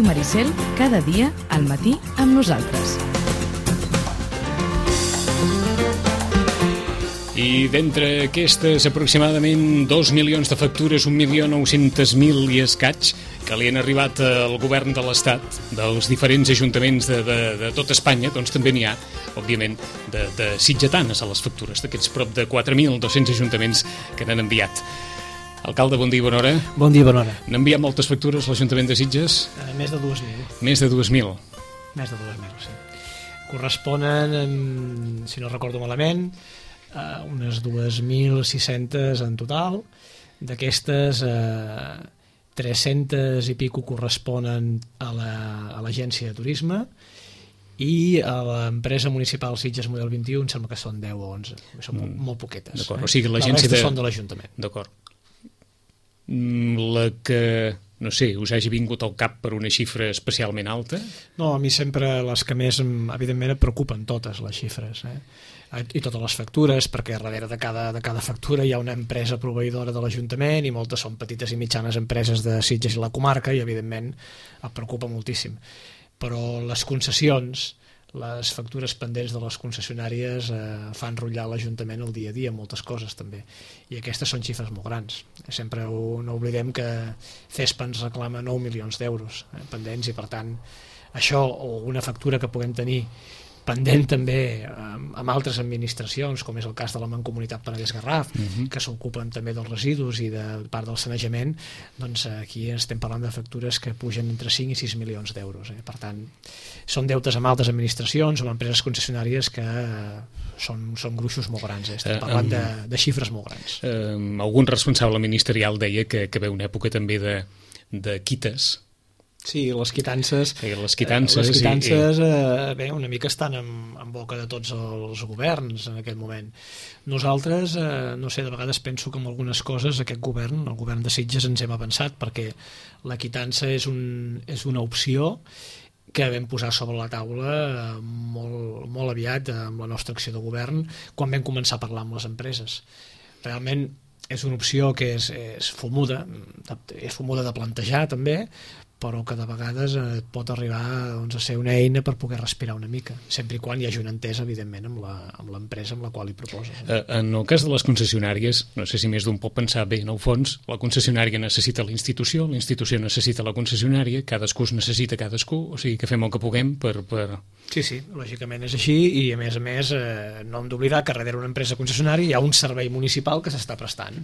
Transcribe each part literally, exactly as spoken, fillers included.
Ràdio Maricel, cada dia al matí amb nosaltres. I d'entre aquestes aproximadament dos milions de factures, un milió nou-cents mil i escaig, que li han arribat al govern de l'Estat, dels diferents ajuntaments de, de, de tot Espanya, doncs també n'hi ha, òbviament, de, de sitgetanes a les factures, d'aquests prop de quatre mil dos-cents ajuntaments que n'han enviat. Alcalde, bon dia i bona hora. Bon dia i bona hora. N'ha enviat moltes factures l'Ajuntament de Sitges? Uh, més de dues mil. Més de dues mil. Més de dues mil, sí. Corresponen, si no recordo malament, Uh, unes dos mil sis-centes en total. D'aquestes, uh, tres-centes i pico corresponen a l'Agència la, de Turisme i a l'empresa municipal Sitges Model vint-i-u em sembla que són deu o onze. Són mm. molt poquetes. D'acord, eh? O sigui, l'agència de... de... són de l'Ajuntament. D'acord. La que, no sé, us hagi vingut al cap per una xifra especialment alta? No, a mi sempre les que més, evidentment, et preocupen totes les xifres, eh? I totes les factures, perquè darrere de cada, de cada factura hi ha una empresa proveïdora de l'Ajuntament i moltes són petites i mitjanes empreses de Sitges i la comarca i, evidentment, et preocupa moltíssim. Però les concessions, les factures pendents de les concessionàries eh, fan rotllar l'Ajuntament el dia a dia, moltes coses també, i aquestes són xifres molt grans. Sempre ho, no oblidem que CESPA ens reclama nou milions d'euros eh, pendents i, per tant, això o una factura que puguem tenir pendent també amb, amb altres administracions, com és el cas de la Mancomunitat Penedès-Garraf, uh-huh. que s'ocupen també dels residus i de part del sanejament, doncs aquí estem parlant de factures que pugen entre cinc i sis milions d'euros. Eh? Per tant, són deutes amb altres administracions o amb empreses concessionàries que eh, són, són gruixos molt grans. Eh? Estem parlant uh, um, de, de xifres molt grans. Uh, algun responsable ministerial deia que, que ve una època també de, de quites. Sí, les quitances, sí, les quitances, eh, les quitances i, i... Eh, bé, una mica estan en, en boca de tots els governs en aquest moment. Nosaltres, eh, no sé, de vegades penso que amb algunes coses aquest govern, el govern de Sitges, ens hem avançat, perquè la quitança és, un, és una opció que vam posar sobre la taula molt, molt aviat amb la nostra acció de govern quan vam començar a parlar amb les empreses. Realment és una opció que és, és fumuda, és fumuda de plantejar també, però que de vegades et pot arribar doncs, a ser una eina per poder respirar una mica, sempre i quan hi hagi una entesa, evidentment, amb l'empresa amb la qual hi proposes. Eh, en el cas de les concessionàries, no sé si més d'un pot pensar, bé, en el fons, la concessionària necessita la institució, la institució necessita la concessionària, cadascú es necessita cadascú, o sigui que fem el que puguem per... per... Sí, sí, lògicament és així, i a més a més eh, no hem d'oblidar que darrere una empresa concessionària hi ha un servei municipal que s'està prestant,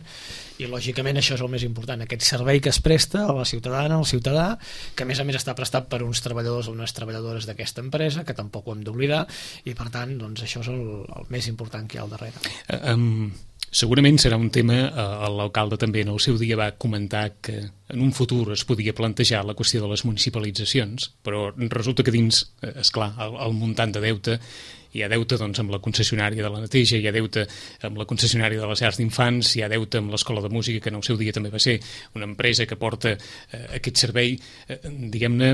i lògicament això és el més important, aquest servei que es presta a la ciutadana, al ciutadà, que a més a més està prestat per uns treballadors o unes treballadores d'aquesta empresa, que tampoc ho hem d'oblidar, i per tant doncs, això és el, el més important que hi ha al darrere. Uh, um, segurament serà un tema, uh, l'alcalde també en el seu dia va comentar que en un futur es podia plantejar la qüestió de les municipalitzacions, però resulta que dins, esclar, el, el muntant de deute, hi ha deute doncs, amb la concessionària de la neteja, hi ha deute amb la concessionària de les llars d'infants, hi ha deute amb l'Escola de Música, que en el seu dia també va ser una empresa que porta eh, aquest servei, eh, diguem-ne,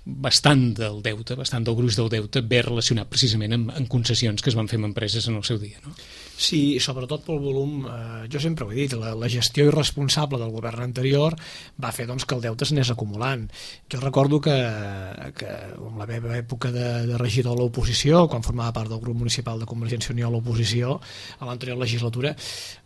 bastant del deute, bastant del gruix del deute, ve relacionat precisament amb, amb concessions que es van fer amb empreses en el seu dia, no? Sí, sobretot pel volum, eh, jo sempre ho he dit, la, la gestió irresponsable del govern anterior va fer doncs, que el deute s'anés acumulant. Jo recordo que, que en la meva època de, de regidor a l'oposició, quan formava part del grup municipal de Convergència i Unió a l'oposició, a l'anterior legislatura,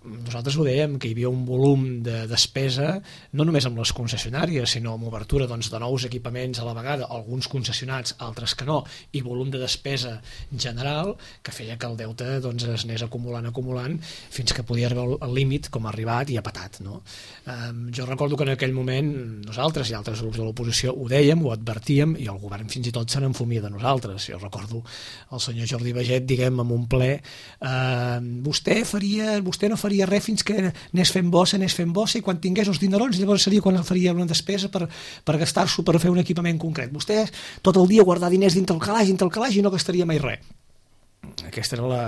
nosaltres ho dèiem, que hi havia un volum de despesa, no només amb les concessionàries, sinó amb obertura doncs, de nous equipaments a la vegada, alguns concessionats, altres que no, i volum de despesa general, que feia que el deute doncs, es anés acumulant acumulant fins que podia arribar al límit com ha arribat i ha patat, no? Um, jo recordo que en aquell moment nosaltres i altres grups de l'oposició ho dèiem, ho advertíem, i el govern fins i tot se n'enfumia de nosaltres. Jo recordo el senyor Jordi Baget, diguem, en un ple, uh, vostè faria, vostè no faria res fins que anés fent bossa, anés fent bossa, i quan tingués els dinerons llavors seria quan faria una despesa per, per gastar-s'ho per fer un equipament concret. Vostè tot el dia guardar diners dintre el calaix, dintre el calaix i no gastaria mai res. Aquesta era la,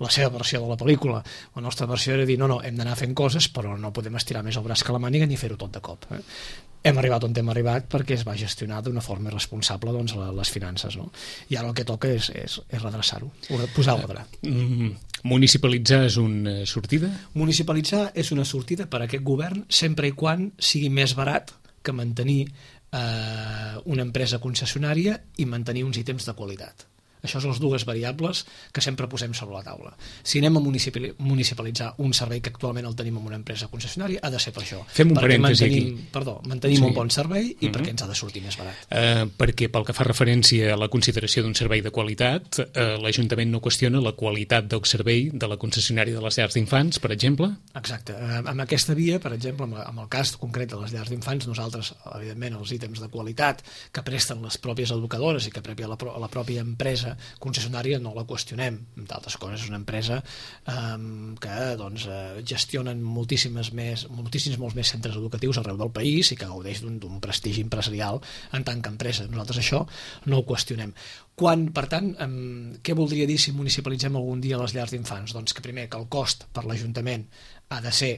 la seva versió de la pel·lícula. La nostra versió era dir, no, no, hem d'anar fent coses, però no podem estirar més el braç que la màniga ni fer-ho tot de cop. Eh? Hem arribat on hem arribat perquè es va gestionar d'una forma irresponsable doncs, les finances, no? I ara el que toca és, és, és redreçar-ho, posar ordre. Mm, municipalitzar és una sortida? Municipalitzar és una sortida per a aquest govern sempre i quan sigui més barat que mantenir eh, una empresa concessionària i mantenir uns ítems de qualitat. Això són les dues variables que sempre posem sobre la taula. Si anem a municipalitzar un servei que actualment el tenim en una empresa concessionària, ha de ser per això. Fem un parèntesi aquí. Perdó, mantenim sí. un bon servei i uh-huh. perquè ens ha de sortir més barat. Uh, perquè pel que fa referència a la consideració d'un servei de qualitat, uh, l'Ajuntament no qüestiona la qualitat del servei de la concessionària de les llars d'infants, per exemple? Exacte. Uh, amb aquesta via, per exemple, amb, amb el cas concret de les llars d'infants, nosaltres, evidentment, els ítems de qualitat que presten les pròpies educadores i que prèvia la, la pròpia empresa concessionària no la qüestionem. D'altres coses, és una empresa eh, que doncs, eh, gestionen moltíssimes més, moltíssims molts més centres educatius arreu del país i que gaudeix d'un prestigi empresarial en tant que empresa. Nosaltres això no ho qüestionem. Quan, per tant, eh, què voldria dir si municipalitzem algun dia les llars d'infants? Doncs que primer que el cost per l'Ajuntament ha de ser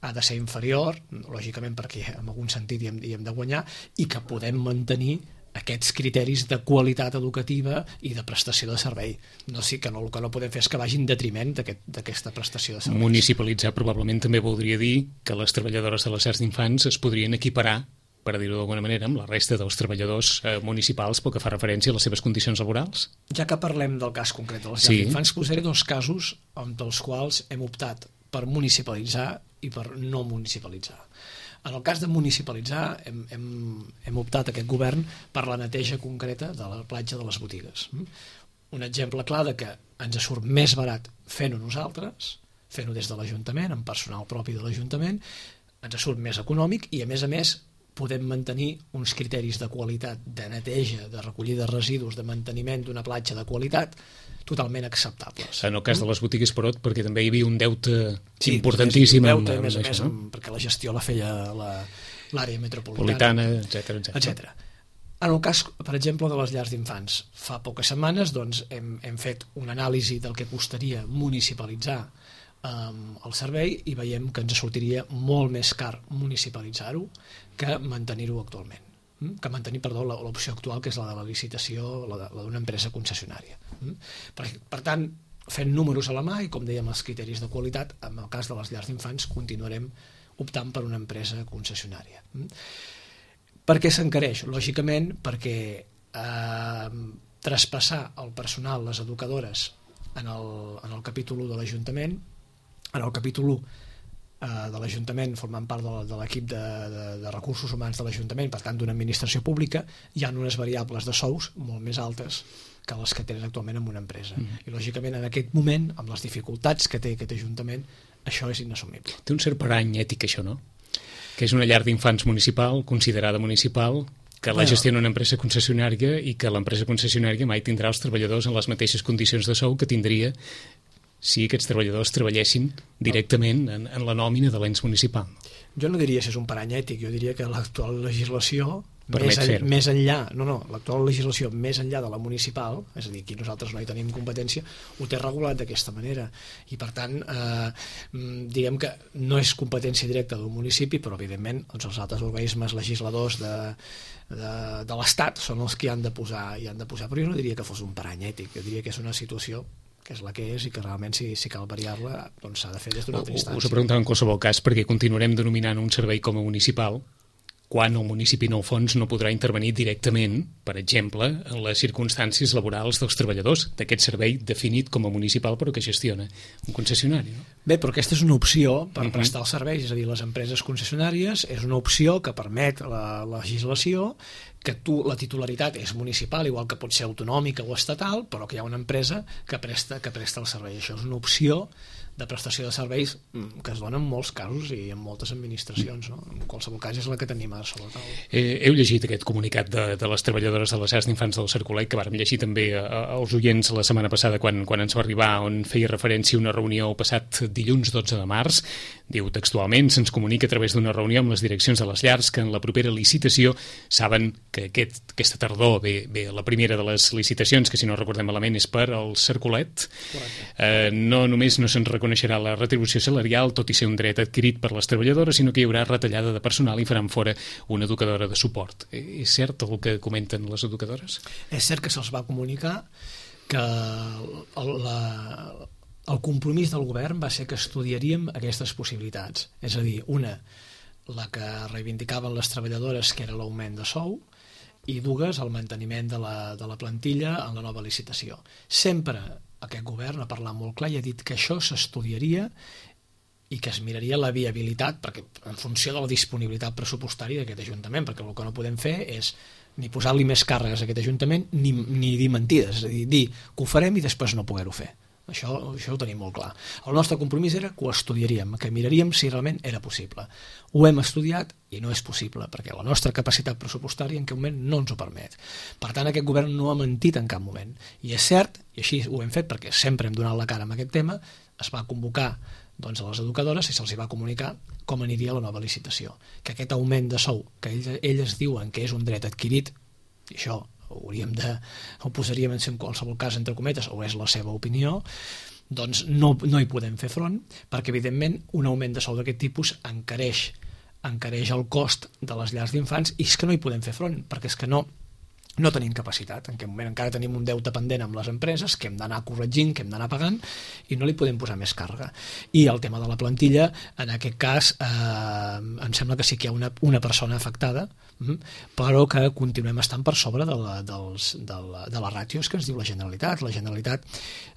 ha de ser inferior, lògicament perquè en algun sentit hi hem, hi hem de guanyar, i que podem mantenir aquests criteris de qualitat educativa i de prestació de servei. No, sí que no, el que no podem fer és que vagi en detriment d'aquesta aquest, prestació de serveis. Municipalitzar probablement també voldria dir que les treballadores de les llars d'infants es podrien equiparar, per dir-ho d'alguna manera, amb la resta dels treballadors eh, municipals pel que fa referència a les seves condicions laborals? Ja que parlem del cas concret de les llars sí. d'infants, posaré dos casos dels quals hem optat per municipalitzar i per no municipalitzar. En el cas de municipalitzar hem, hem, hem optat aquest govern per la neteja concreta de la platja de les botigues. Un exemple clar de que ens surt més barat fent-ho nosaltres, fent-ho des de l'Ajuntament, amb personal propi de l'Ajuntament, ens surt més econòmic i a més a més podem mantenir uns criteris de qualitat, de neteja, de recollida de residus, de manteniment d'una platja de qualitat totalment acceptables. En el cas de les botigues, però, perquè també hi havia un deute sí, importantíssim. Un deute, amb, a més a més, amb, perquè la gestió la feia l'àrea metropolitana, etcètera, etcètera. En el cas, per exemple, de les llars d'infants, fa poques setmanes doncs, hem, hem fet una anàlisi del que costaria municipalitzar um, el servei i veiem que ens sortiria molt més car municipalitzar-ho que mantenir-ho actualment. que mantenir, perdó, l'opció actual, que és la de la licitació, la d'una empresa concessionària. Per, per tant, fent números a la mà i, com dèiem, els criteris de qualitat, en el cas de les llars d'infants continuarem optant per una empresa concessionària. Per què s'encareix? Lògicament, perquè eh, traspassar el personal, les educadores, en el, en el capítol u de l'Ajuntament, en el capítol u de l'Ajuntament, formant part de l'equip de, de, de recursos humans de l'Ajuntament, per tant d'una administració pública, hi ha unes variables de sous molt més altes que les que tenen actualment en una empresa. Mm. I lògicament en aquest moment, amb les dificultats que té aquest Ajuntament, això és inassumible. Té un cert parany ètic això, no? Que és una llar d'infants municipal, considerada municipal, que la gestiona una empresa concessionària i que l'empresa concessionària mai tindrà els treballadors en les mateixes condicions de sou que tindria si aquests treballadors treballessin directament en, en la nòmina de l'ens municipal. Jo no diria si és un parany ètic, jo diria que l'actual legislació, més, en, més enllà, no, no, l'actual legislació més enllà de la municipal, és a dir, aquí nosaltres no hi tenim competència, ho té regulat d'aquesta manera. I per tant, eh, diguem que no és competència directa d'un municipi, però evidentment doncs, els altres organismes legisladors de, de, de l'Estat són els que hi han de posar, hi han de posar, però jo no diria que fos un parany ètic, jo diria que és una situació que és la que és i que realment si, si cal variar-la doncs s'ha de fer des d'una altra instància. Us ho preguntava en qualsevol cas perquè continuarem denominant un servei com a municipal quan el municipi en el fons no podrà intervenir directament, per exemple, en les circumstàncies laborals dels treballadors d'aquest servei definit com a municipal però que gestiona un concessionari. No? Bé, però aquesta és una opció per uh-huh. prestar els serveis, és a dir, les empreses concessionàries és una opció que permet la, la legislació que tu, la titularitat és municipal, igual que pot ser autonòmica o estatal, però que hi ha una empresa que presta, que presta el servei. Això és una opció de prestació de serveis que es dona en molts casos i en moltes administracions, no? En qualsevol cas és la que tenim ara sobre la taula. Eh, heu llegit aquest comunicat de, de les treballadores de les llars d'infants del Cercolet que vàrem llegir també als oients la setmana passada quan, quan ens va arribar, on feia referència a una reunió passat dilluns dotze de març. Diu textualment, se'ns comunica a través d'una reunió amb les direccions de les llars que en la propera licitació saben que aquest, aquesta tardor ve, ve la primera de les licitacions, que si no recordem malament és per al Cercolet. Eh, no només no se'n reconeixerà la retribució salarial, tot i ser un dret adquirit per les treballadores, sinó que hi haurà retallada de personal i faran fora una educadora de suport. Eh, és cert el que comenten les educadores? És cert que se'ls va comunicar que el, la, el compromís del govern va ser que estudiaríem aquestes possibilitats. És a dir, una, la que reivindicaven les treballadores, que era l'augment de sou, i dues, el manteniment de la, de la plantilla en la nova licitació. Sempre aquest govern ha parlat molt clar i ha dit que això s'estudiaria i que es miraria la viabilitat, perquè en funció de la disponibilitat pressupostària d'aquest Ajuntament, perquè el que no podem fer és ni posar-li més càrregues a aquest Ajuntament ni, ni dir mentides, és a dir, dir que ho farem i després no poder-ho fer. Això, això ho tenim molt clar. El nostre compromís era que ho estudiaríem, que miraríem si realment era possible. Ho hem estudiat i no és possible, perquè la nostra capacitat pressupostària en aquest moment no ens ho permet. Per tant, aquest govern no ha mentit en cap moment. I és cert, i així ho hem fet perquè sempre hem donat la cara amb aquest tema, es va convocar doncs, a les educadores i se'ls va comunicar com aniria la nova licitació. Que aquest augment de sou, que ells, elles diuen que és un dret adquirit, i això ho hauríem de, ho posaríem en qualsevol cas entre cometes, o és la seva opinió, doncs no, no hi podem fer front, perquè evidentment un augment de sou d'aquest tipus encareix, encareix el cost de les llars d'infants, i és que no hi podem fer front, perquè és que no, no tenim capacitat. En aquest moment encara tenim un deute pendent amb les empreses que hem d'anar corregint, que hem d'anar pagant, i no li podem posar més càrrega. I el tema de la plantilla, en aquest cas, eh, em sembla que sí que hi ha una, una persona afectada, però que continuem estant per sobre de, la, dels, de, la, de les ràtios que ens diu la Generalitat. La Generalitat,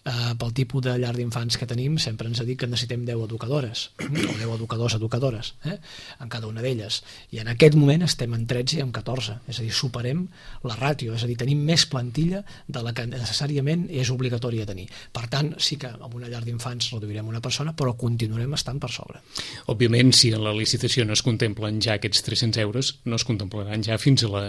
eh, pel tipus de llar d'infants que tenim, sempre ens ha dit que necessitem deu educadores, o deu educadors educadores, eh, en cada una d'elles. I en aquest moment estem en tretze i en catorze, és a dir, superem la ràtio, és a dir, tenim més plantilla de la que necessàriament és obligatòria tenir. Per tant, sí que amb una llar d'infants reduirem una persona, però continuarem estant per sobre. Òbviament, si en la licitació no es contemplen ja aquests tres-cents euros, no es contemplaran ja fins a la...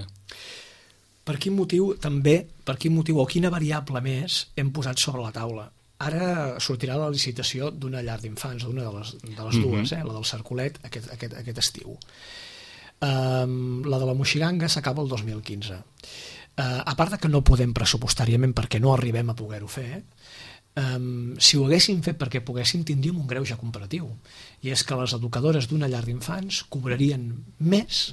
Per quin motiu també, per quin motiu o quina variable més hem posat sobre la taula? Ara sortirà la licitació d'una llar d'infants, d'una de les, de les dues, eh? La del Cercolet, aquest, aquest, aquest estiu. Um, la de la Moixiganga s'acaba el dos mil quinze. Uh, a part de que no podem pressupostàriament perquè no arribem a poder-ho fer, um, si ho haguéssim fet perquè poguéssim, tindríem un greuge comparatiu, i és que les educadores d'una llar d'infants cobrarien més,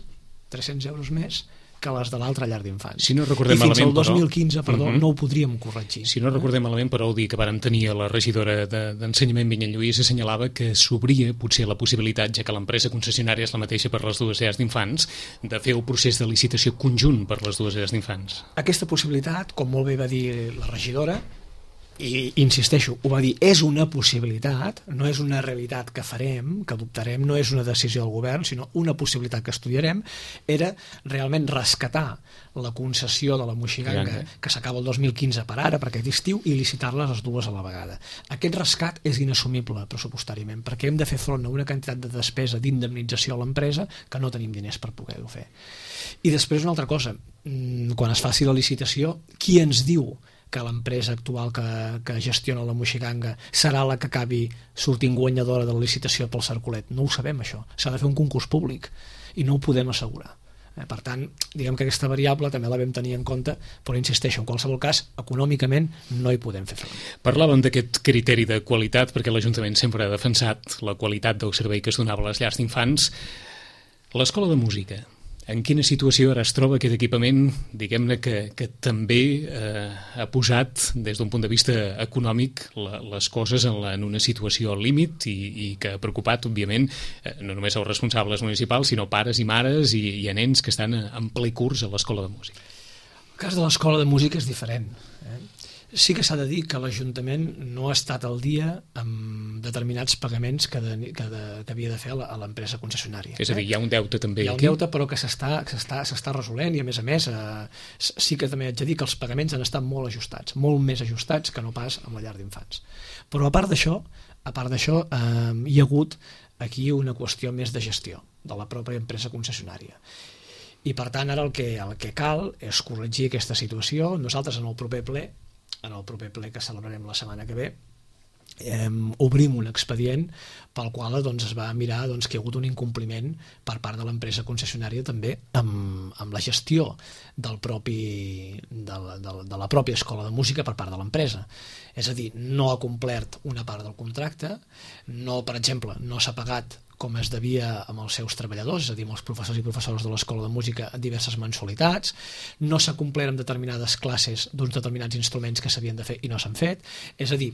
tres-cents euros més, que les de l'altra llar d'infants. Si no recordem I fins malament, al dos mil quinze, però, perdó, uh -huh. no ho podríem corregir. Si no recordem malament, però, el dia que vàrem tenir a la regidora d'Ensenyament, Vinyet Lluís, assenyalava que s'obria potser la possibilitat, ja que l'empresa concessionària és la mateixa per les dues llars d'infants, de fer el procés de licitació conjunt per les dues llars d'infants. Aquesta possibilitat, com molt bé va dir la regidora, i insisteixo, ho va dir, és una possibilitat, no és una realitat que farem, que adoptarem, no és una decisió del govern, sinó una possibilitat que estudiarem, era realment rescatar la concessió de la Moixiganga, que s'acaba el dos mil quinze per ara, per aquest estiu, i licitar-les les dues a la vegada. Aquest rescat és inassumible pressupostàriament, perquè hem de fer front a una quantitat de despesa d'indemnització a l'empresa que no tenim diners per poder-ho fer. I després una altra cosa, quan es faci la licitació, qui ens diu que l'empresa actual que, que gestiona la Moixiganga serà la que acabi sortint guanyadora de la licitació pel Cercolet? No ho sabem, això. S'ha de fer un concurs públic i no ho podem assegurar. Eh, per tant, diguem que aquesta variable també la vam tenir en compte, però insisteixo, en qualsevol cas, econòmicament no hi podem fer front. Parlàvem d'aquest criteri de qualitat, perquè l'Ajuntament sempre ha defensat la qualitat del servei que es donava a les llars d'infants. L'escola de música, en quina situació ara es troba aquest equipament, diguem-ne que, que també eh, ha posat, des d'un punt de vista econòmic, la, les coses en, la, en una situació al límit i, i que ha preocupat, òbviament, eh, no només els responsables municipals, sinó pares i mares i, i a nens que estan en ple curs a l'escola de música? El cas de l'escola de música és diferent. Eh? Sí que s'ha de dir que l'Ajuntament no ha estat al dia amb determinats pagaments que, de, que, de, que havia de fer a l'empresa concessionària. És a dir, hi ha un deute també aquí? Hi ha un aquí? deute, però que s'està resolent, i a més a més eh, sí que també haig de dir que els pagaments han estat molt ajustats, molt més ajustats que no pas amb la llar d'infants. Però a part d'això, a part d'això eh, hi ha hagut aquí una qüestió més de gestió de la pròpia empresa concessionària. I per tant ara el que, el que cal és corregir aquesta situació. Nosaltres en el proper ple en el proper ple que celebrarem la setmana que ve, eh, obrim un expedient pel qual doncs, es va mirar doncs, que hi ha hagut un incompliment per part de l'empresa concessionària també amb, amb la gestió del propi, de, la, de, la, de la pròpia escola de música per part de l'empresa. És a dir, no ha complert una part del contracte, no, per exemple, no s'ha pagat com es devia amb els seus treballadors, és a dir, amb els professors i professores de l'Escola de Música en diverses mensualitats, no s'ha complert amb determinades classes d'uns determinats instruments que s'havien de fer i no s'han fet, és a dir,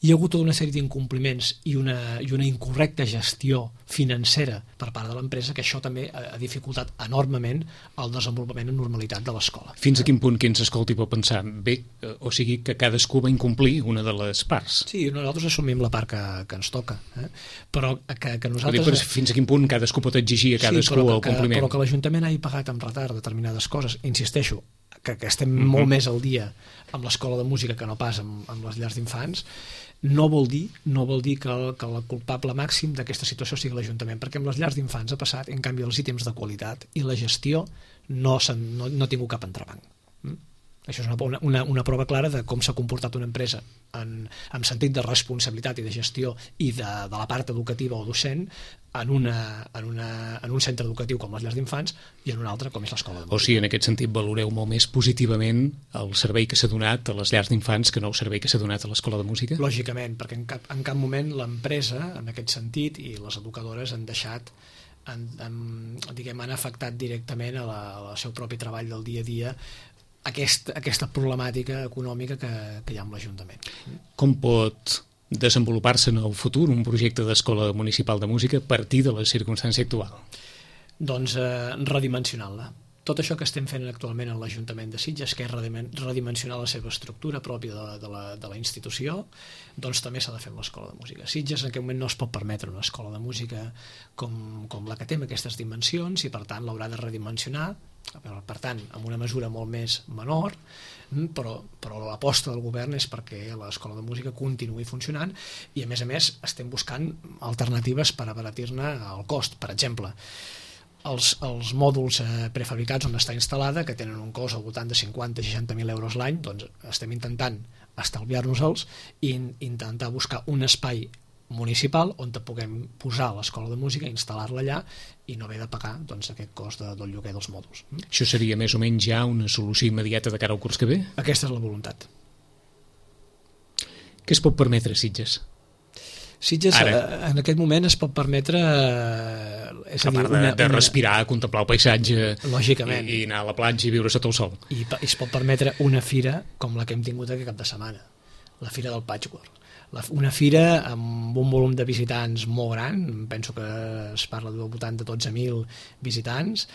hi ha hagut tota una sèrie d'incompliments i una, i una incorrecta gestió financera per part de l'empresa, que això també ha dificultat enormement el desenvolupament en normalitat de l'escola. Fins a quin punt qui ens escolti pot pensar, bé, o sigui que cadascú va incomplir una de les parts? Sí, nosaltres assumim la part que, que ens toca, eh? però que, que nosaltres... Dir, fins a quin punt cadascú pot exigir a cadascú sí, el compliment? Però que l'Ajuntament hagi pagat amb retard determinades coses, insisteixo, que, que estem mm-hmm. molt més al dia amb l'Escola de Música que no pas amb, amb les llars d'infants, no vol dir, no vol dir que el, que el culpable màxim d'aquesta situació sigui l'Ajuntament, perquè amb les llars d'infants ha passat, en canvi, els ítems de qualitat i la gestió no, no, no ha tingut cap entrebanc. Mm? Això és una, una, una prova clara de com s'ha comportat una empresa en, en sentit de responsabilitat i de gestió i de, de la part educativa o docent en, una, en, una, en un centre educatiu com les llars d'infants i en un altre com és l'Escola de Música. O sigui, en aquest sentit valoreu molt més positivament el servei que s'ha donat a les llars d'infants que no el servei que s'ha donat a l'Escola de Música? Lògicament, perquè en cap, en cap moment l'empresa, en aquest sentit, i les educadores han deixat han, han, diguem, han afectat directament a la, al seu propi treball del dia a dia Aquest, aquesta problemàtica econòmica que, que hi ha amb l'Ajuntament. Com pot desenvolupar-se en el futur un projecte d'escola municipal de música a partir de la circumstància actual? Doncs eh, redimensionant-la. Tot això que estem fent actualment en l'Ajuntament de Sitges, que és redimensionar la seva estructura pròpia de, de, la, de la institució, doncs també s'ha de fer amb l'Escola de Música. Sitges en aquest moment no es pot permetre una escola de música com, com la que té amb aquestes dimensions i per tant l'haurà de redimensionar, per tant amb una mesura molt més menor, però, però l'aposta del govern és perquè l'Escola de Música continuï funcionant i a més a més estem buscant alternatives per abaratir-ne el cost. Per exemple, Els, els mòduls eh, prefabricats on està instal·lada, que tenen un cost al voltant de cinquanta a seixanta mil euros l'any, doncs estem intentant estalviar-nos-els i in, intentar buscar un espai municipal on te puguem posar l'Escola de Música, instal·lar-la allà i no haver de pagar doncs, aquest cost de, del lloguer dels mòduls. Això seria més o menys ja una solució immediata de cara al curs que ve? Aquesta és la voluntat. Què es pot permetre, Sitges? Sitges Ara. en aquest moment es pot permetre eh, és a, a dir, part de, una, de una... respirar, contemplar el paisatge lògicament. I, i anar a la platja i viure sota el sol i, i es pot permetre una fira com la que hem tingut aquest cap de setmana, la Fira del Patchwork, la, una fira amb un volum de visitants molt gran, penso que es parla de voltant de dotze mil visitants,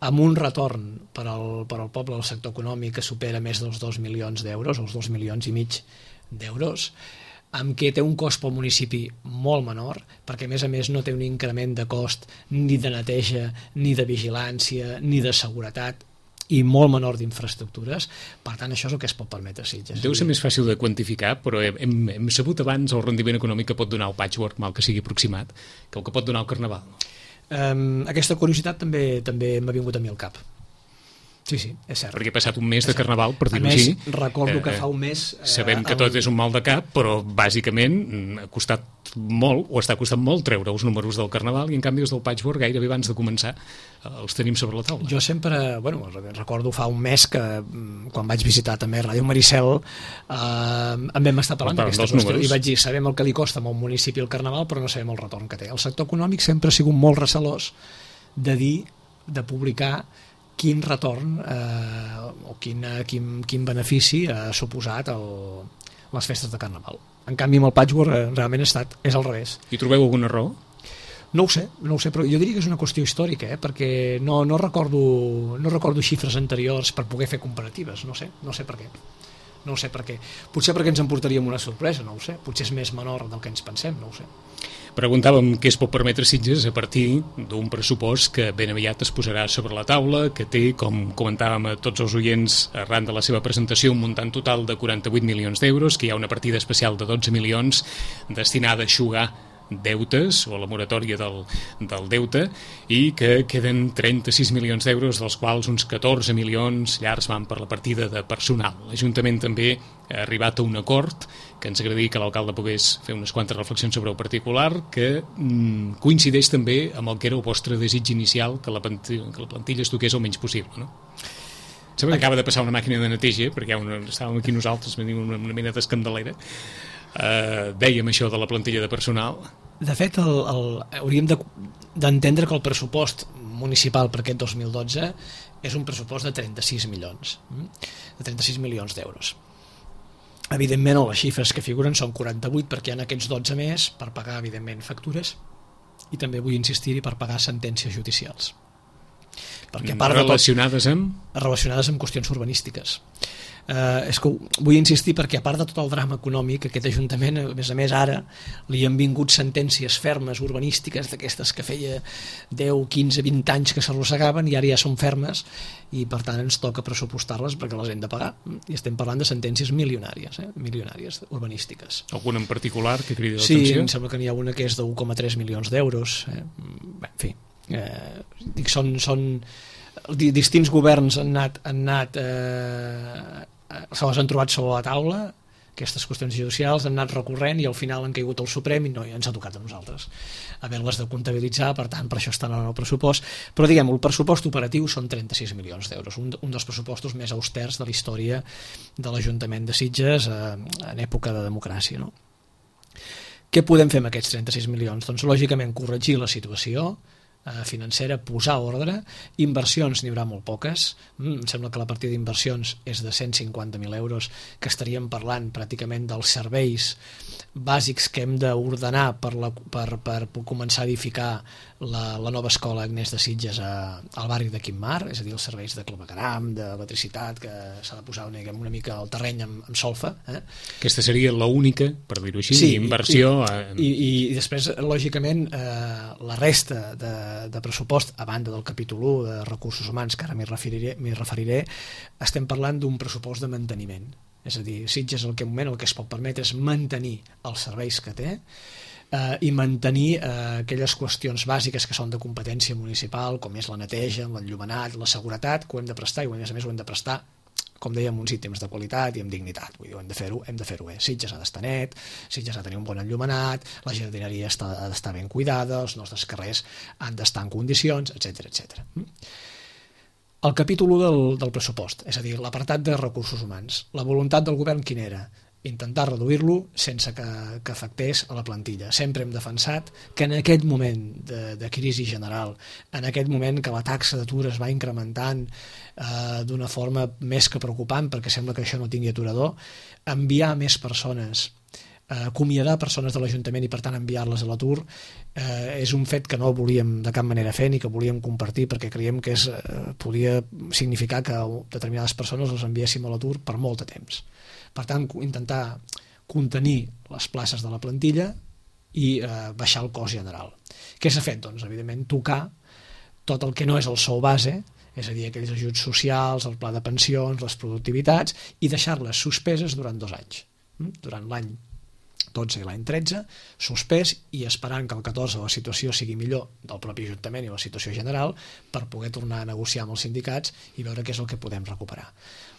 amb un retorn per al, per al poble del sector econòmic que supera més dels dos milions d'euros, o els dos milions i mig d'euros, amb què té un cost pel municipi molt menor, perquè a més a més no té un increment de cost ni de neteja, ni de vigilància, ni de seguretat, i molt menor d'infraestructures. Per tant, això és el que es pot permetre a Sitges. Deu ser més fàcil de quantificar, però hem, hem sabut abans el rendiment econòmic que pot donar el patchwork, mal que sigui aproximat, que el que pot donar el carnaval. Um, aquesta curiositat també també m'ha vingut a mi al cap. Sí, sí, és cert. Perquè he passat un mes de carnaval, per dir-ho així. així. A més, recordo que fa un mes... Eh, sabem que tot és un mal de cap, però bàsicament ha costat molt, o està costant molt, treure els números del carnaval, i en canvi els del patchwork gairebé abans de començar els tenim sobre la taula. Jo sempre, bueno, recordo fa un mes que quan vaig visitar també Ràdio Maricel eh, en vam estar parlant d'aquesta qüestió números. I vaig dir, sabem el que li costa a un municipi el carnaval, però no sabem el retorn que té. El sector econòmic sempre ha sigut molt recelós de dir, de publicar quin retorn eh, o quin, quin, quin benefici ha suposat el, les festes de carnaval. En canvi, amb el patchwork eh, realment ha estat, és al revés. I trobeu alguna raó? No ho sé, no ho sé, però jo diria que és una qüestió històrica, eh, perquè no, no, recordo, no recordo xifres anteriors per poder fer comparatives, no sé, no sé per què. No ho sé per què. Potser perquè ens en portaríem una sorpresa, no ho sé. Potser és més menor del que ens pensem, no ho sé. Preguntàvem què es pot permetre Sitges a partir d'un pressupost que ben aviat es posarà sobre la taula, que té, com comentàvem a tots els oients arran de la seva presentació, un muntant total de quaranta-vuit milions d'euros, que hi ha una partida especial de dotze milions destinada a eixugar deutes o la moratòria del, del deute, i que queden trenta-sis milions d'euros, dels quals uns catorze milions llargs van per la partida de personal. L'Ajuntament també ha arribat a un acord que ens agradaria que l'alcalde pogués fer unes quantes reflexions sobre el particular, que mm, coincideix també amb el que era el vostre desig inicial, que la plantilla, que la plantilla es toqués el menys possible, no? Sembla que acaba de passar una màquina de neteja, perquè una, estàvem aquí nosaltres, venim una, una mena d'escandelera. eh, dèiem això de la plantilla de personal. De fet, el, el, hauríem d'entendre de, que el pressupost municipal per aquest dos mil dotze és un pressupost de trenta-sis milions, de trenta-sis milions d'euros. Evidentment, les xifres que figuren són quaranta-vuit perquè hi ha aquests dotze més per pagar, evidentment, factures i també vull insistir-hi per pagar sentències judicials. Perquè a part relacionades de tot, amb? Relacionades amb qüestions urbanístiques. Uh, és que vull insistir perquè a part de tot el drama econòmic, aquest Ajuntament, a més a més ara, li han vingut sentències fermes urbanístiques d'aquestes que feia deu, quinze, vint anys que s'arrossegaven i ara ja són fermes i per tant ens toca pressupostar-les perquè les hem de pagar. I estem parlant de sentències milionàries, eh? milionàries urbanístiques. Alguna en particular que cridi sí, l'atenció? Sí, em sembla que n'hi ha una que és de un coma tres milions d'euros. Eh? Bé, en fi, eh, dic, són, són distints governs han anat, han anat eh, se les han trobat sobre la taula, aquestes qüestions judicials han anat recorrent i al final han caigut al Suprem i no, ja ens ha tocat a nosaltres haver-les de comptabilitzar, per tant per això estan en el pressupost, però diguem el pressupost operatiu són trenta-sis milions d'euros, un, un dels pressupostos més austers de la història de l'Ajuntament de Sitges eh, en època de democràcia, no? Què podem fer amb aquests trenta-sis milions? Doncs lògicament corregir la situació financera, posar ordre. Inversions n'hi haurà molt poques, em sembla que la partida d'inversions és de cent cinquanta mil euros, que estaríem parlant pràcticament dels serveis bàsics que hem d'ordenar per, la, per, per començar a edificar la, la nova escola Agnès de Sitges a, al barri de Quimar, és a dir, els serveis de clavegueram, d'electricitat, que s'ha de posar una, una mica al terreny amb, amb solfa. Eh? Aquesta seria l'única, per dir-ho així, sí, inversió. I, i, i després, lògicament, eh, la resta de, de pressupost, a banda del capítol u de recursos humans, que ara m'hi referiré, m'hi referiré, estem parlant d'un pressupost de manteniment. És a dir, Sitges el que en moment el que es pot permetre és mantenir els serveis que té eh, i mantenir eh, aquelles qüestions bàsiques que són de competència municipal, com és la neteja, l'enllumenat, la seguretat, que ho hem de prestar i a més a més ho hem de prestar, com dèiem, uns ítems de qualitat i amb dignitat. Vull dir, hem de fer-ho, hem de fer-ho bé. Sitges ha d'estar net, Sitges ha de tenir un bon enllumenat, la jardineria està, ha d'estar ben cuidada, els nostres carrers han d'estar en condicions, etcètera, etcètera. El capítol u del, del pressupost, és a dir, l'apartat de recursos humans. La voluntat del govern quina era? Intentar reduir-lo sense que, que afectés a la plantilla. Sempre hem defensat que en aquest moment de, de crisi general, en aquest moment que la taxa d'atur es va incrementant eh, d'una forma més que preocupant, perquè sembla que això no tingui aturador, enviar més persones, eh, acomiadar persones de l'Ajuntament i per tant enviar-les a l'atur eh, és un fet que no volíem de cap manera fer ni que volíem compartir, perquè creiem que és, eh, podia significar que determinades persones les enviéssim a l'atur per molt de temps. Per tant, intentar contenir les places de la plantilla i eh, baixar el cost general. Què s'ha fet? Doncs, evidentment, tocar tot el que no és el sou base, és a dir, aquells ajuts socials, el pla de pensions, les productivitats, i deixar-les suspeses durant dos anys. Durant l'any dotze i l'any tretze, suspès i esperant que el catorze la situació sigui millor del propi Ajuntament i la situació general per poder tornar a negociar amb els sindicats i veure què és el que podem recuperar.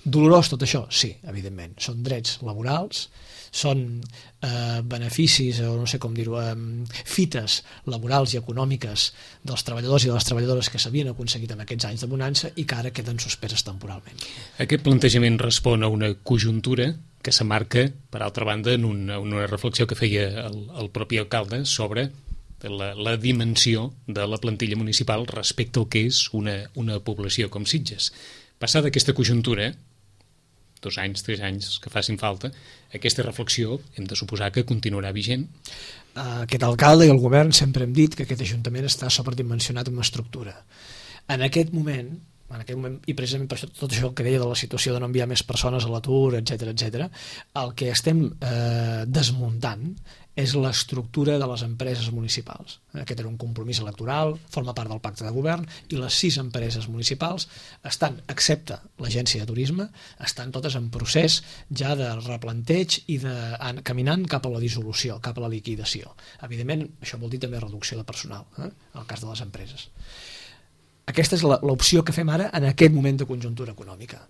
Dolorós tot això? Sí, evidentment. Són drets laborals, són eh, beneficis, o no sé com dir-ho, eh, fites laborals i econòmiques dels treballadors i de les treballadores que s'havien aconseguit en aquests anys de bonança i que ara queden suspeses temporalment. Aquest plantejament respon a una conjuntura que s'emmarca, per altra banda, en una, una reflexió que feia el, el propi alcalde sobre la, la dimensió de la plantilla municipal respecte al que és una, una població com Sitges. Passada aquesta conjuntura, dos anys, tres anys que facin falta, aquesta reflexió hem de suposar que continuarà vigent. Aquest alcalde i el govern sempre hem dit que aquest Ajuntament està sobredimensionat en estructura. En aquest moment, en aquest moment, i precisament per això, tot això que deia de la situació de no enviar més persones a l'atur, etcètera, etcètera, el que estem eh, desmuntant és l'estructura de les empreses municipals. Aquest era un compromís electoral, forma part del pacte de govern, i les sis empreses municipals estan, excepte l'agència de turisme, estan totes en procés ja de replanteig i de, en, caminant cap a la dissolució, cap a la liquidació. Evidentment, això vol dir també reducció de personal, eh, en el cas de les empreses. Aquesta és l'opció que fem ara en aquest moment de conjuntura econòmica.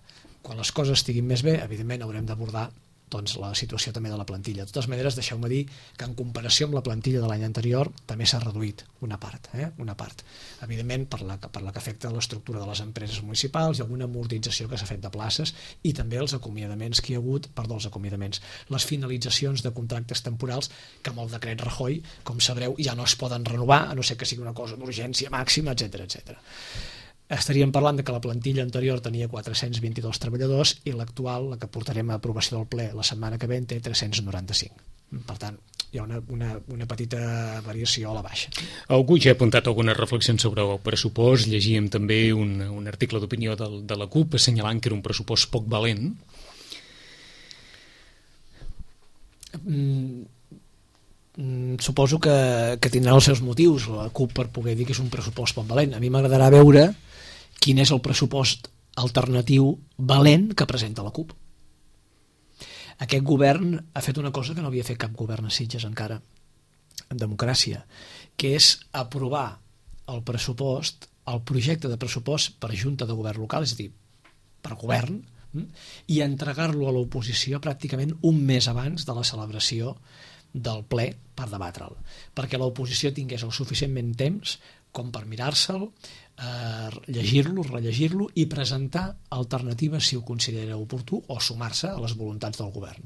Quan les coses estiguin més bé, evidentment haurem d'abordar doncs, la situació també de la plantilla. De totes maneres, deixeu-me dir que en comparació amb la plantilla de l'any anterior també s'ha reduït una part, eh? una part. Evidentment, per la, per la que afecta l'estructura de les empreses municipals i alguna amortització que s'ha fet de places i també els acomiadaments que hi ha hagut, perdó, els acomiadaments, les finalitzacions de contractes temporals que amb el decret Rajoy, com sabreu, ja no es poden renovar, a no ser que sigui una cosa d'urgència màxima, etcètera, etcètera. Estaríem parlant de que la plantilla anterior tenia quatre-cents vint-i-dos treballadors i l'actual, la que portarem a aprovació del ple la setmana que ve, té tres-cents noranta-cinc. Per tant, hi ha una, una, una petita variació a la baixa. Algú ja ha apuntat algunes reflexions sobre el pressupost. Llegíem també un, un article d'opinió de, de la CUP assenyalant que era un pressupost poc valent. Mm, suposo que, que tindrà els seus motius la CUP per poder dir que és un pressupost poc valent. A mi m'agradarà veure quin és el pressupost alternatiu valent que presenta la CUP. Aquest govern ha fet una cosa que no havia fet cap govern a Sitges encara, en democràcia, que és aprovar el pressupost, el projecte de pressupost per Junta de Govern Local, és a dir, per govern, i entregar-lo a l'oposició pràcticament un mes abans de la celebració del ple per debatre'l, perquè l'oposició tingués el suficientment temps com per mirar-se'l, eh, llegir-lo, rellegir-lo i presentar alternatives si ho considera oportú o sumar-se a les voluntats del govern.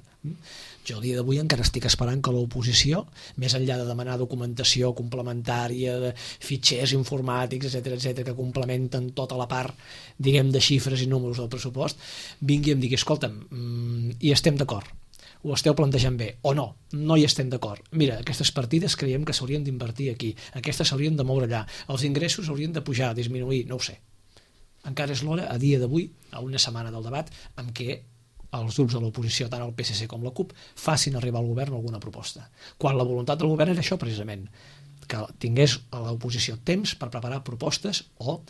Jo el dia d'avui encara estic esperant que l'oposició, més enllà de demanar documentació complementària, de fitxers informàtics, etcètera, etcètera, que complementen tota la part, diguem, de xifres i números del pressupost, vingui i em digui, escolta'm, mm, hi estem d'acord, ho esteu plantejant bé, o no, no hi estem d'acord. Mira, aquestes partides creiem que s'haurien d'invertir aquí, aquestes s'haurien de moure allà, els ingressos haurien de pujar, disminuir, no ho sé. Encara és l'hora, a dia d'avui, a una setmana del debat, en què els grups de l'oposició, tant el P S C com la CUP, facin arribar al govern alguna proposta. Quan la voluntat del govern era això, precisament, que tingués a l'oposició temps per preparar propostes o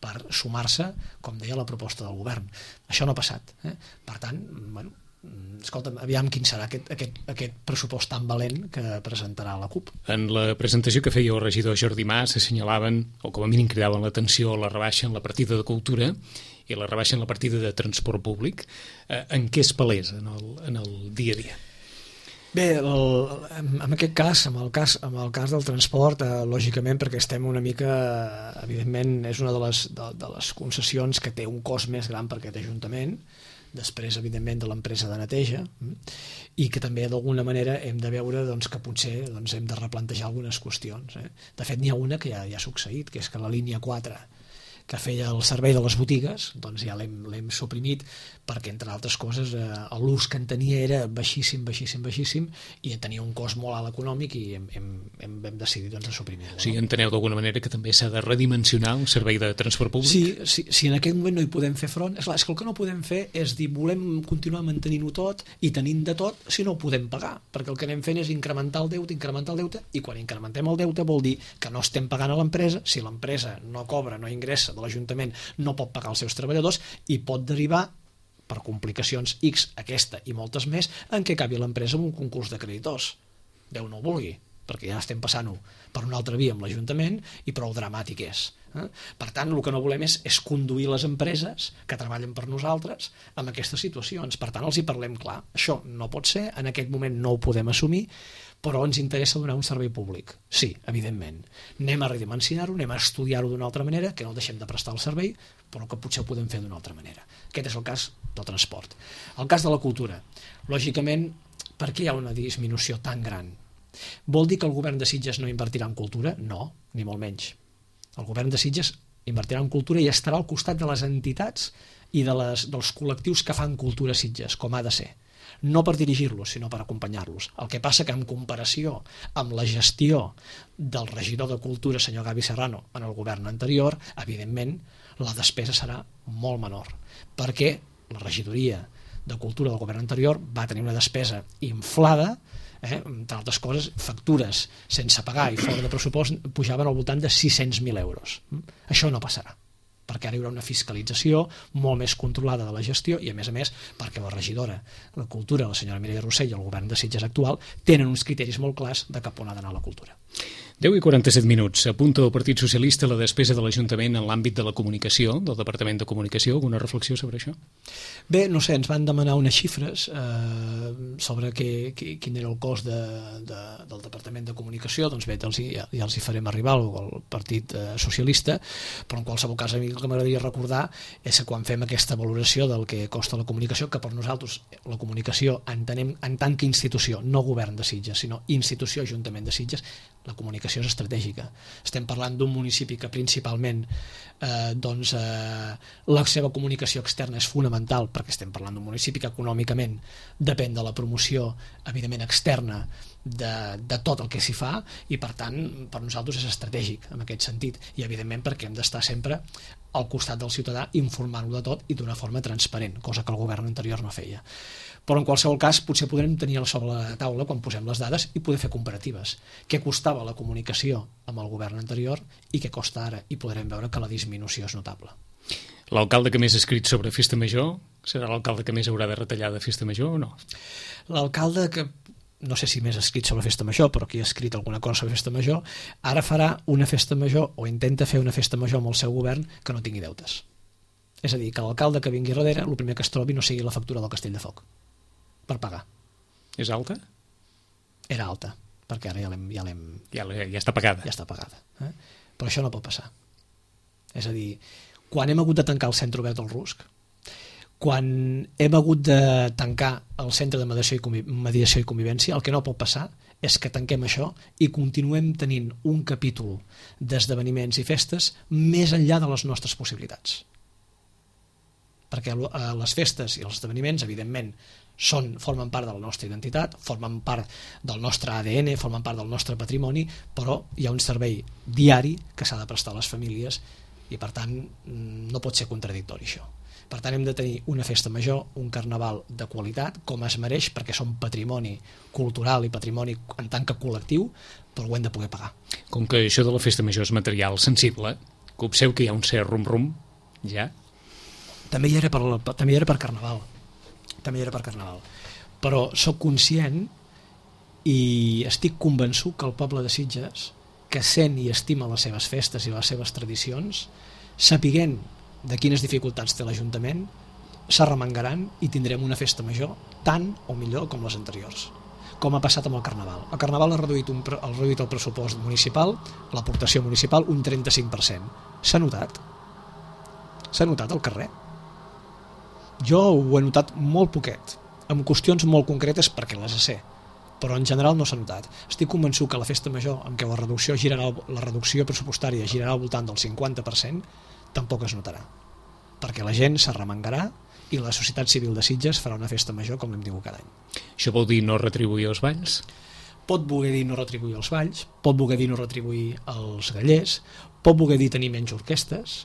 per sumar-se, com deia, la proposta del govern. Això no ha passat. Eh? Per tant, bueno, escolta'm, aviam quin serà aquest, aquest, aquest pressupost tan valent que presentarà la CUP. En la presentació que feia el regidor Jordi Mas s'assenyalaven, o com a mínim cridaven l'atenció, la rebaixa en la partida de cultura i la rebaixa en la partida de transport públic. Eh, en què es palesa en el, en el dia a dia? Bé, el, en aquest cas, en el cas, en el cas del transport, eh, lògicament, perquè estem una mica, evidentment, és una de les, de, de les concessions que té un cost més gran per aquest Ajuntament, després, evidentment, de l'empresa de neteja, i que també, d'alguna manera, hem de veure doncs, que potser doncs, hem de replantejar algunes qüestions. Eh? De fet, n'hi ha una que ja, ja ha succeït, que és que la línia quatre, que feia el servei de les botigues, doncs ja l'hem suprimit perquè, entre altres coses, eh, l'ús que en tenia era baixíssim, baixíssim, baixíssim i tenia un cost molt alt econòmic i hem, hem, hem, hem decidit doncs, suprimir-lo. O sigui, enteneu d'alguna manera que també s'ha de redimensionar un servei de transport públic? Sí, sí, si en aquest moment no hi podem fer front, és clar, és que el que no podem fer és dir volem continuar mantenint-ho tot i tenint de tot si no ho podem pagar, perquè el que anem fent és incrementar el deute, incrementar el deute, i quan incrementem el deute vol dir que no estem pagant a l'empresa, si l'empresa no cobra, no ingressa de l'Ajuntament, no pot pagar els seus treballadors i pot derivar per complicacions X, aquesta i moltes més, en què acabi l'empresa amb un concurs de creditors. Déu no ho vulgui, perquè ja estem passant-ho per una altra via amb l'Ajuntament i prou dramàtic és. Eh? Per tant, el que no volem és, és conduir les empreses que treballen per nosaltres amb aquestes situacions. Per tant, els hi parlem clar. Això no pot ser, en aquest moment no ho podem assumir, però ens interessa donar un servei públic. Sí, evidentment. Anem a redimensionar-ho, anem a estudiar-ho d'una altra manera, que no deixem de prestar el servei, però que potser ho podem fer d'una altra manera. Aquest és el cas del transport. El cas de la cultura. Lògicament, per què hi ha una disminució tan gran? Vol dir que el govern de Sitges no invertirà en cultura? No, ni molt menys. El govern de Sitges invertirà en cultura i estarà al costat de les entitats i de les, dels col·lectius que fan cultura a Sitges, com ha de ser. No per dirigir-los, sinó per acompanyar-los. El que passa que en comparació amb la gestió del regidor de Cultura, senyor Gavi Serrano, en el govern anterior, evidentment, la despesa serà molt menor, perquè la regidoria de Cultura del govern anterior va tenir una despesa inflada, eh, entre altres coses, factures sense pagar i fora de pressupost pujaven al voltant de sis-cents mil euros. Això no passarà, perquè ara hi haurà una fiscalització molt més controlada de la gestió i, a més a més, perquè la regidora de Cultura, la senyora Mireia Rossell, i el govern de Sitges actual tenen uns criteris molt clars de cap on ha d'anar la cultura. deu i quaranta-set minuts. Apunta el Partit Socialista la despesa de l'Ajuntament en l'àmbit de la comunicació, del Departament de Comunicació. Alguna reflexió sobre això? Bé, no sé, ens van demanar unes xifres eh, sobre que, que, quin era el cost de, de, del Departament de Comunicació. Doncs bé, els hi, ja, ja els hi farem arribar al, al Partit eh, Socialista, però en qualsevol cas a mi el que m'agradaria recordar és que quan fem aquesta valoració del que costa la comunicació, que per nosaltres la comunicació entenem en tant que institució, no govern de Sitges, sinó institució Ajuntament de Sitges, la comunicació és estratègica. Estem parlant d'un municipi que principalment eh, doncs, eh, la seva comunicació externa és fonamental, perquè estem parlant d'un municipi que econòmicament depèn de la promoció, evidentment, externa de, de tot el que s'hi fa, i per tant per nosaltres és estratègic en aquest sentit, i evidentment perquè hem d'estar sempre al costat del ciutadà informant-lo de tot i d'una forma transparent, cosa que el govern anterior no feia. Però en qualsevol cas potser podrem tenir sobre la taula quan posem les dades i poder fer comparatives. Què costava la comunicació amb el govern anterior i què costa ara, i podrem veure que la disminució és notable. L'alcalde que més ha escrit sobre Festa Major serà l'alcalde que més haurà de retallar de Festa Major o no? L'alcalde que, no sé si més ha escrit sobre Festa Major, però qui ha escrit alguna cosa sobre Festa Major, ara farà una Festa Major o intenta fer una Festa Major amb el seu govern que no tingui deutes. És a dir, que l'alcalde que vingui darrere, el primer que es trobi no sigui la factura del Castell de Foc per pagar. És alta? Era alta, perquè ara ja l'hem... Ja, ja, ja està pagada. Ja està pagada. Eh? Però això no pot passar. És a dir, quan hem hagut de tancar el centre obert del Rusc, quan hem hagut de tancar el centre de mediació i, conviv... mediació i convivència, el que no pot passar és que tanquem això i continuem tenint un capítol d'esdeveniments i festes més enllà de les nostres possibilitats. Perquè les festes i els esdeveniments, evidentment, són, formen part de la nostra identitat, formen part del nostre A D N, formen part del nostre patrimoni, però hi ha un servei diari que s'ha de prestar a les famílies i per tant no pot ser contradictori això. Per tant hem de tenir una festa major, un carnaval de qualitat, com es mereix, perquè som patrimoni cultural i patrimoni en tant que col·lectiu, però ho hem de poder pagar. Com que això de la festa major és material sensible, que obseu que hi ha un cert rum-rum, ja? També hi era per, també hi era per carnaval. també hi era per carnaval. Però sóc conscient i estic convençut que el poble de Sitges, que sent i estima les seves festes i les seves tradicions, sapiguent de quines dificultats té l'Ajuntament, s'arremangaran i tindrem una festa major tant o millor com les anteriors, com ha passat amb el Carnaval. El Carnaval ha reduït, un, ha reduït el pressupost municipal, l'aportació municipal, un trenta-cinc per cent. S'ha notat? S'ha notat al carrer? Jo ho he notat molt poquet, amb qüestions molt concretes perquè les sé, però en general no s'ha notat. Estic convençut que la festa major, en què la reducció, girarà, la reducció pressupostària girarà al voltant del cinquanta per cent, tampoc es notarà, perquè la gent s'arremangarà i la societat civil de Sitges farà una festa major com l'hem tingut cada any. Això vol dir no retribuir els balls? Pot voler dir no retribuir els balls, pot voler dir no retribuir els gallers, pot voler dir tenir menys orquestes,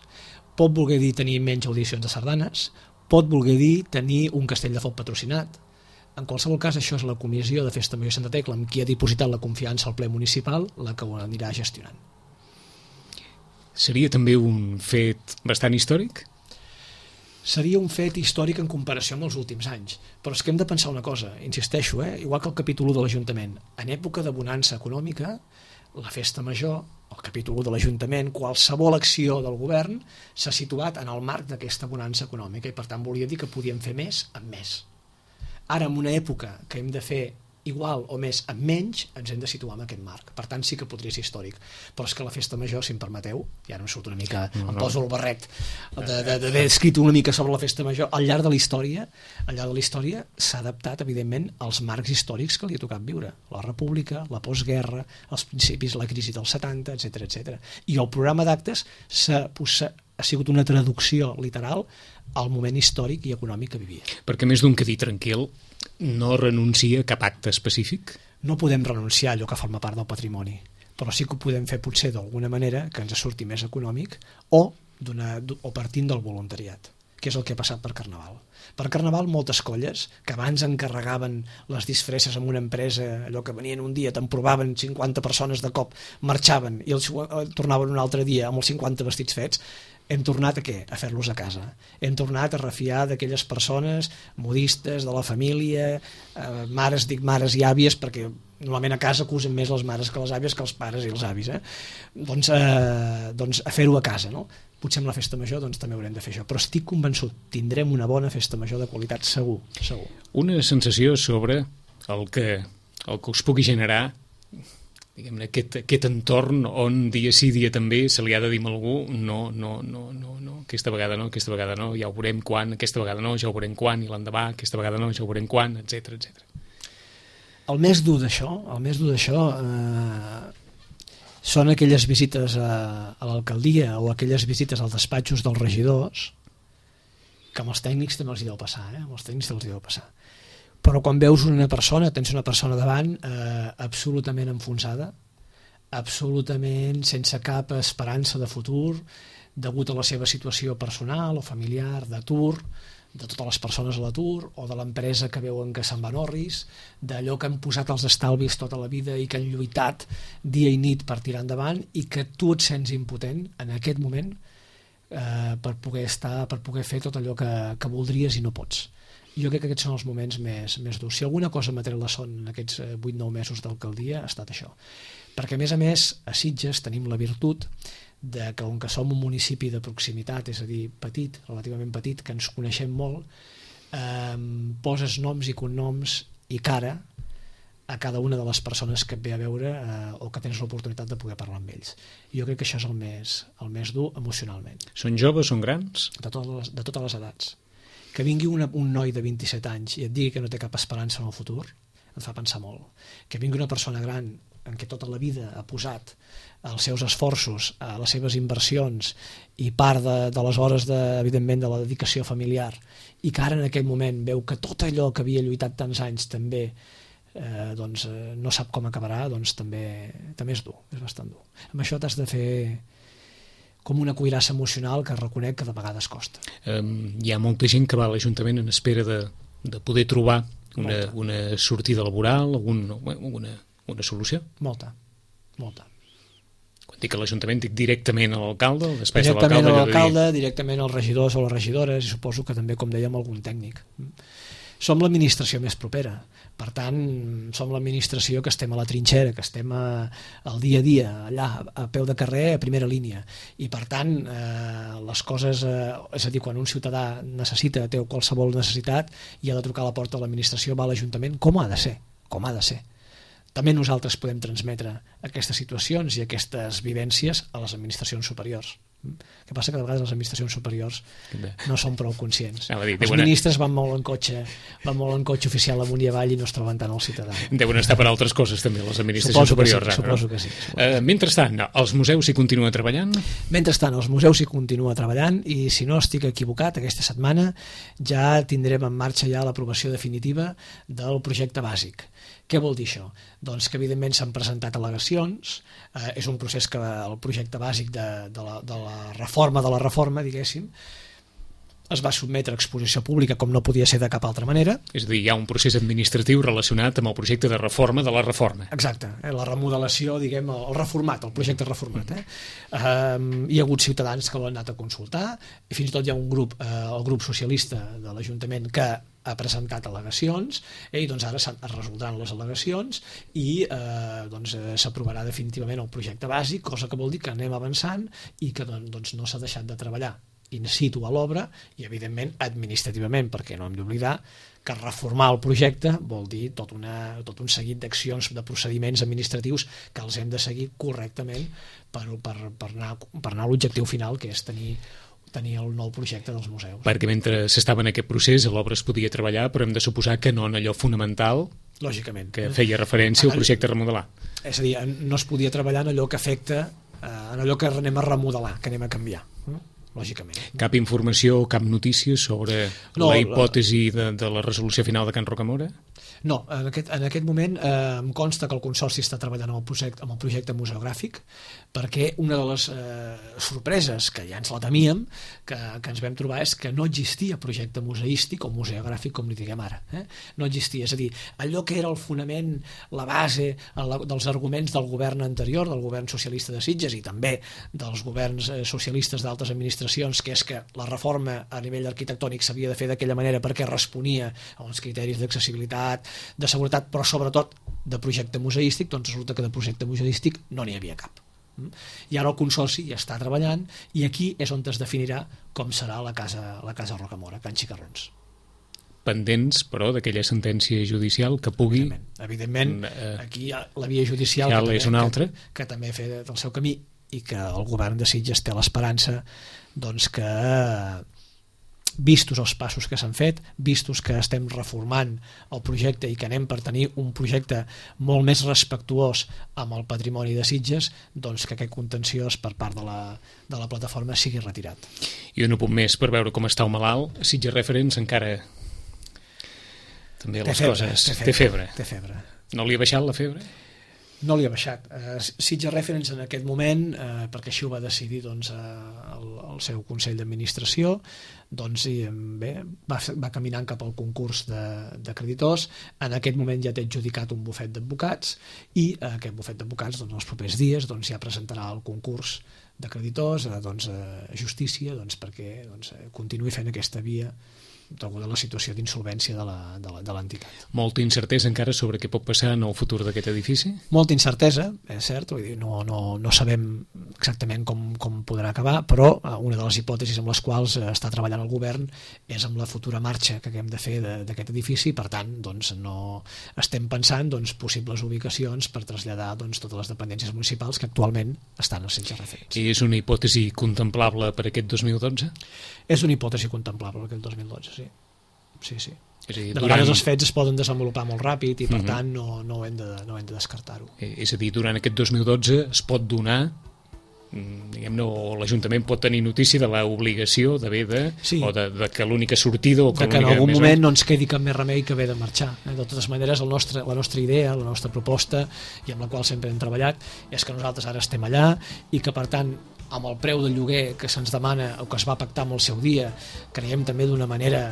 pot voler dir tenir menys audicions de sardanes, pot voler dir tenir un castell de foc patrocinat. En qualsevol cas, això és la comissió de Festa Major Santa Tecla, amb qui ha dipositat la confiança al ple municipal, la que ho anirà gestionant. Seria també un fet bastant històric? Seria un fet històric en comparació amb els últims anys, però és que hem de pensar una cosa, insisteixo, eh? Igual que el capítol u de l'Ajuntament, en època de bonança econòmica, la festa major, el capítol u de l'Ajuntament, qualsevol acció del govern s'ha situat en el marc d'aquesta bonança econòmica i per tant volia dir que podíem fer més amb més. Ara, en una època que hem de fer igual o més amb menys, ens hem de situar en aquest marc. Per tant, sí que podria ser històric. Però és que la festa major, si em permeteu, ja no em surt una mica, no, no. Em poso el barret d'haver escrit una mica sobre la festa major, al llarg de la història, al llarg de la història s'ha adaptat, evidentment, als marcs històrics que li ha tocat viure. La república, la postguerra, els principis, la crisi dels setanta, etcètera, etcètera. I el programa d'actes s'ha ha sigut una traducció literal al moment històric i econòmic que vivia. Perquè més d'un que dir tranquil, no renuncia a cap acte específic? No podem renunciar a allò que forma part del patrimoni, però sí que ho podem fer potser d'alguna manera que ens surti més econòmic o, o partint del voluntariat, que és el que ha passat per Carnaval. Per Carnaval moltes colles que abans encarregaven les disfresses en una empresa, allò que venien un dia, te'n provaven cinquanta persones de cop, marxaven i els tornaven un altre dia amb els cinquanta vestits fets, hem tornat a què? A fer-los a casa. Hem tornat a refiar d'aquelles persones modistes, de la família, eh, mares, dic mares i àvies, perquè normalment a casa acusen més les mares que les àvies que els pares i els avis. Eh? Doncs, eh, doncs a fer-ho a casa, no? Potser amb la festa major doncs, també haurem de fer això, però estic convençut, tindrem una bona festa major de qualitat, segur, segur. Una sensació sobre el que, el que us pugui generar diguem-ne, aquest, aquest entorn on dia sí, dia també se li ha de dir a algú no, no, no, no, no, aquesta vegada no, aquesta vegada no, ja ho veurem quan, aquesta vegada no, ja ho veurem quan, i l'endemà, aquesta vegada no, ja ho veurem quan, etcètera, etcètera. El més dur d'això, el més dur d'això eh, són aquelles visites a, a l'alcaldia o aquelles visites als despatxos dels regidors que amb els tècnics també els hi deu passar, eh? amb els tècnics els hi deu passar. Però quan veus una persona, tens una persona davant eh, absolutament enfonsada, absolutament sense cap esperança de futur, degut a la seva situació personal o familiar, d'atur, de totes les persones a l'atur, o de l'empresa que veuen que se'n van orris, d'allò que han posat els estalvis tota la vida i que han lluitat dia i nit per tirar endavant, i que tu et sents impotent en aquest moment eh, per poder estar, per poder fer tot allò que, que voldries i no pots. Jo crec que aquests són els moments més, més durs. Si alguna cosa m'ha tret la son en aquests vuit nou mesos d'alcaldia ha estat això. Perquè, a més a més, a Sitges tenim la virtut de que, on que som un municipi de proximitat, és a dir, petit, relativament petit, que ens coneixem molt, eh, poses noms i cognoms i cara a cada una de les persones que et ve a veure eh, o que tens l'oportunitat de poder parlar amb ells. Jo crec que això és el més, el més dur emocionalment. Són joves, són grans? De totes les, de totes les edats. Que vingui una, un noi de vint-i-set anys i et digui que no té cap esperança en el futur, et fa pensar molt. Que vingui una persona gran en què tota la vida ha posat els seus esforços, a les seves inversions i part de, de les hores, de, evidentment, de la dedicació familiar, i que ara en aquell moment veu que tot allò que havia lluitat tants anys també eh, doncs, eh, no sap com acabarà, doncs també, també és dur, és bastant dur. Amb això t'has de fer com una cuirassa emocional que reconec que de vegades costa. Um, hi ha molta gent que va a l'Ajuntament en espera de, de poder trobar una, una sortida laboral, un, una, una solució? Molta, molta. Quan dic a l'Ajuntament, dic directament a l'alcalde, el despatx de directament l'alcalde, a l'alcalde, directament als regidors o les regidores, i suposo que també, com dèiem, algun tècnic. Som l'administració més propera, per tant, som l'administració que estem a la trinxera, que estem a, al dia a dia, allà, a peu de carrer, a primera línia, i per tant, eh, les coses, eh, és a dir, quan un ciutadà necessita, té qualsevol necessitat, i ha de trucar a la porta de l'administració, va a l'Ajuntament, com ha de ser, com ha de ser. També nosaltres podem transmetre aquestes situacions i aquestes vivències a les administracions superiors. El que passa que de vegades les administracions superiors no són prou conscients. Dir, els ministres van molt en cotxe, van molt en cotxe oficial amunt i avall i no es troben tant al ciutadà. Deuen estar per altres coses també, les administracions suposo superiors. Que sí, suposo que sí. Suposo. Uh, mentrestant, els museus hi continuen treballant? Mentrestant, els museus hi continuen treballant, i si no estic equivocat, aquesta setmana ja tindrem en marxa ja l'aprovació definitiva del projecte bàsic. Què vol dir això? Doncs que evidentment s'han presentat al·legacions, eh, és un procés que el projecte bàsic de, de, la, de la reforma de la reforma, diguéssim, es va sotmetre a exposició pública com no podia ser de cap altra manera. És a dir, hi ha un procés administratiu relacionat amb el projecte de reforma de la reforma. Exacte, eh, la remodelació, diguem, el reformat, el projecte reformat. Eh? Um, hi ha hagut ciutadans que l'han anat a consultar, i fins i tot hi ha un grup, eh, el grup socialista de l'Ajuntament, que ha presentat al·legacions, eh, i doncs ara es resoldran les al·legacions i eh, doncs, eh, s'aprovarà definitivament el projecte bàsic, cosa que vol dir que anem avançant i que doncs, no s'ha deixat de treballar in situ a l'obra i evidentment administrativament, perquè no hem d'oblidar que reformar el projecte vol dir tot, una, tot un seguit d'accions, de procediments administratius que els hem de seguir correctament per, per, per, anar, per anar a l'objectiu final, que és tenir tenir el nou projecte dels museus. Perquè mentre s'estava en aquest procés l'obra es podia treballar, però hem de suposar que no en allò fonamental, lògicament, que feia referència al projecte a remodelar. És a dir, no es podia treballar en allò que afecta, en allò que anem a remodelar, que anem a canviar, lògicament. Cap informació, cap notícia sobre no, la hipòtesi de, de la resolució final de Can Rocamora? No, en aquest, en aquest moment eh, em consta que el Consorci està treballant amb el projecte, amb el projecte museogràfic, perquè una de les eh, sorpreses que ja ens la temíem, que, que ens vam trobar, és que no existia projecte museístic o museogràfic, com li diguem ara. Eh? No existia, és a dir, allò que era el fonament, la base la, dels arguments del govern anterior, del govern socialista de Sitges i també dels governs eh, socialistes d'altres administracions, que és que la reforma a nivell arquitectònic s'havia de fer d'aquella manera perquè responia a uns criteris d'accessibilitat, de seguretat, però sobretot de projecte museístic, doncs resulta que de projecte museístic no n'hi havia cap. I ara el Consorci ja està treballant i aquí és on es definirà com serà la casa, la casa Rocamora, Can Xicarrons. Pendents, però, d'aquella sentència judicial que pugui... Evidentment, evidentment eh, aquí hi ha la via judicial que, també, és una altra. que, que també ha fet el seu camí i que el govern de Sitges té l'esperança doncs, que vistos els passos que s'han fet, vistos que estem reformant el projecte i que anem per tenir un projecte molt més respectuós amb el patrimoni de Sitges, doncs que aquest contenciós per part de la, de la plataforma sigui retirat. I un apunt més per veure com està el malalt. Sitges Reference encara també les té febre, coses... Té febre, té febre. Té febre. No li ha baixat la febre? No li ha baixat. Uh, Sitges Reference en aquest moment, uh, perquè així ho va decidir doncs, uh, el, el seu Consell d'Administració, doncs, i, bé, va, va caminant cap al concurs de, de creditors. En aquest moment ja té adjudicat un bufet d'advocats i uh, aquest bufet d'advocats doncs, els propers dies doncs, ja presentarà el concurs de creditors a doncs, uh, justícia doncs, perquè doncs, continuï fent aquesta via degut a la situació d'insolvència de l'entitat. Molta incertesa encara sobre què pot passar en el futur d'aquest edifici? Molta incertesa, és cert, vull dir, no, no, no sabem exactament com, com podrà acabar, però una de les hipòtesis amb les quals està treballant el govern és amb la futura marxa que haguem de fer d'aquest edifici, per tant, doncs, no estem pensant doncs, possibles ubicacions per traslladar doncs, totes les dependències municipals que actualment estan als Sitges Referents. I és una hipòtesi contemplable per aquest dos mil dotze? És una hipòtesi contemplable per aquest dos mil dotze, sí. Sí, sí. És a dir, de durant... vegades els fets es poden desenvolupar molt ràpid i per uh -huh. tant no, no, hem de, no hem de descartar-ho. És a dir, durant aquest dos mil dotze es pot donar, diguem-ne, o l'Ajuntament pot tenir notícia de l'obligació d'haver de, sí. o de, de que l'única sortida o que, de que en algun moment no ens quedi cap més remei que haver de marxar. De totes maneres, el nostre, la nostra idea, la nostra proposta, i amb la qual sempre hem treballat, és que nosaltres ara estem allà i que per tant amb el preu del lloguer que se'ns demana o que es va pactar en el seu dia, creiem també d'una manera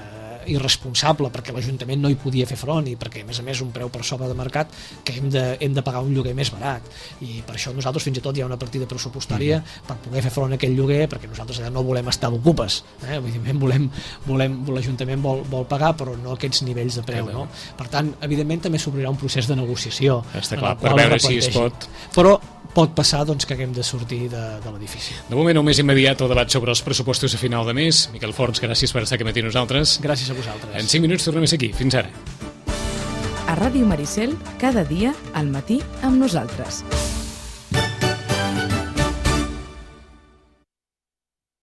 irresponsable perquè l'Ajuntament no hi podia fer front i perquè a més a més un preu per sobre de mercat que hem de, hem de pagar un lloguer més barat i per això nosaltres fins i tot hi ha una partida pressupostària mm-hmm. per poder fer front a aquell lloguer perquè nosaltres allà no volem estar d'ocupes, eh? volem, volem, l'Ajuntament vol, vol pagar però no aquests nivells de preu, no? Per tant, evidentment també s'obrirà un procés de negociació. Està clar, per veure si es pot... Però pot passar doncs, que haguem de sortir de, de l'edifici. De moment, el més immediat, el debat sobre els pressupostos a final de mes. Miquel Forns, gràcies per estar aquí matí nosaltres. Gràcies a vosaltres. En cinc minuts tornem a ser aquí. Fins ara. A Ràdio Maricel, cada dia, al matí, amb nosaltres.